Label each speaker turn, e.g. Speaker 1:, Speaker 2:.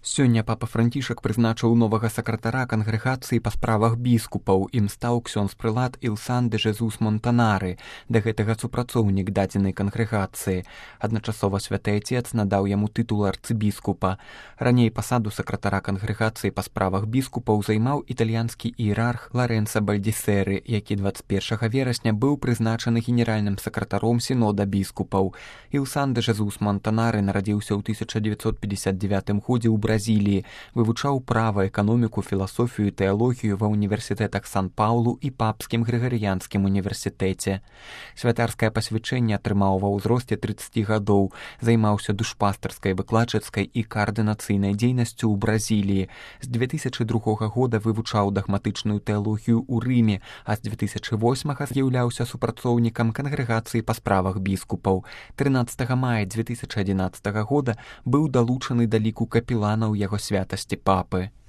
Speaker 1: Сёння папа Францішак прызначыў новага сакратара кангрэгацыі па справах біскупаў. Ім стаў ксёндз-прылад Ілсан де Жезус Монтанары, да гэтага супрацоўнік дадзенай кангрэгацыі. Адначасова святы Ацец надаў яму тытул арцыбіскупа. Раней пасаду сакратара кангрэгацыі па справах біскупаў займаў італьянскі іерарх Ларэнца Бальдзісеры, які 21 верасня быў прызначаны генеральным сакратаром сінода біскупаў. Ілсан де Жезус Монтанары нарадзіўся ў 1959 годзе ў Бразіліі, вывучаў права, эканоміку, філасофію і тэалогію ва ўніверсітэтах Сан-Паўлу і Папскім Грыгарыянскім універсітэце. Святарскае пасвячэнне атрымаў ва ўзросце 30 гадоў, займаўся душпастарскай, выкладчыцкай і каардынацыйнай дзейнасцю ў Бразіліі. З 2002 года вывучаў дагматычную тэалогію ў Рыме, а з 2008 з'яўляўся супрацоўнікам кангрэгацыі па справах біскупаў. 13 мая 2011 года быў далучаны да ліку капеланаў яго святасці папы.